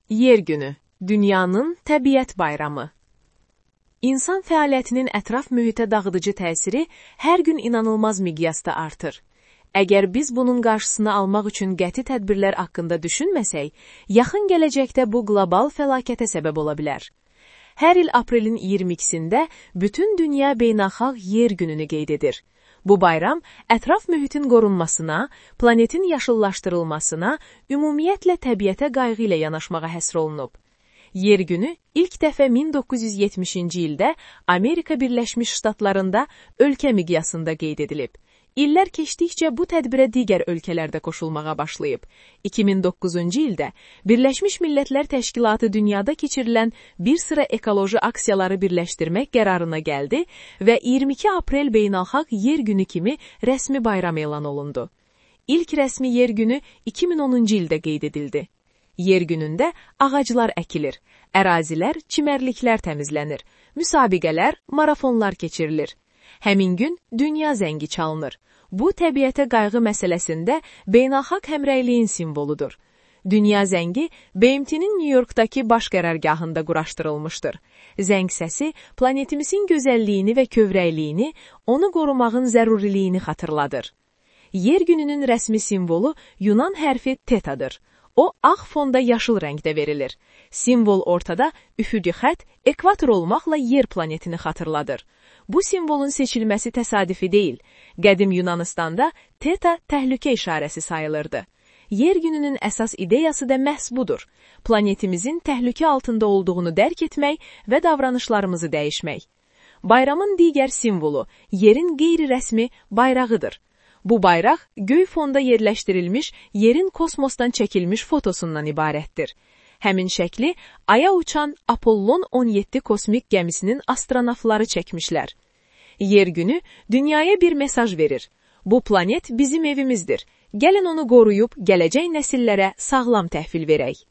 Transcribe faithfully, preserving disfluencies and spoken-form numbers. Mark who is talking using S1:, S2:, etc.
S1: Yer günü, dünyanın təbiət bayramı. İnsan fəaliyyətinin ətraf mühitə dağıdıcı təsiri hər gün inanılmaz miqyasda artır. Əgər biz bunun qarşısını almaq üçün qəti tədbirlər haqqında düşünməsək, yaxın gələcəkdə bu qlobal fəlakətə səbəb ola bilər. Hər il aprelin iyirmi ikisində bütün dünya beynəlxalq yer gününü qeyd edir. Bu bayram ətraf mühitin qorunmasına, planetin yaşıllaşdırılmasına, ümumiyyətlə təbiətə qayğı ilə yanaşmağa həsr olunub. Yer günü ilk dəfə min doqquz yüz yetmişinci ildə Amerika Birləşmiş Ştatlarında ölkə miqyasında qeyd edilib. İllər keçdikcə bu tədbirə digər ölkələr də qoşulmağa başlayıb. iki min doqquzuncu ildə Birləşmiş Millətlər Təşkilatı dünyada keçirilən bir sıra ekoloji aksiyaları birləşdirmək qərarına gəldi və iyirmi iki aprel beynəlxalq yer günü kimi rəsmi bayram elan olundu. İlk rəsmi yer günü iki min onuncu ildə qeyd edildi. Yer günündə ağaclar əkilir, ərazilər, çimərliklər təmizlənir, müsabiqələr, marafonlar keçirilir. Həmin gün dünya zəngi çalınır. Bu, təbiətə qayğı məsələsində beynəlxalq həmrəyliyin simvoludur. Dünya zəngi B M T'nin New Yorkdakı baş qərargahında quraşdırılmışdır. Zəng səsi planetimizin gözəlliyini və kövrəkliyini, onu qorumağın zəruriliyini xatırladır. Yer gününün rəsmi simvolu Yunan hərfi tetadır. O, ağ fonda yaşıl rəngdə verilir. Simvol ortada üfüqi xətt, ekvator olmaqla yer planetini xatırladır. Bu simvolun seçilməsi təsadüfi deyil. Qədim Yunanıstanda teta təhlükə işarəsi sayılırdı. Yer gününün əsas ideyası da məhz budur. Planetimizin təhlükə altında olduğunu dərk etmək və davranışlarımızı dəyişmək. Bayramın digər simvolu, yerin qeyri-rəsmi bayrağıdır. Bu bayraq, göy fonda yerləşdirilmiş, yerin kosmosdan çəkilmiş fotosundan ibarətdir. Həmin şəkli, Aya uçan Apollon on yeddi kosmik gəmisinin astronavtları çəkmişlər. Yer günü dünyaya bir mesaj verir. Bu planet bizim evimizdir. Gəlin onu qoruyub, gələcək nəsillərə sağlam təhvil verək.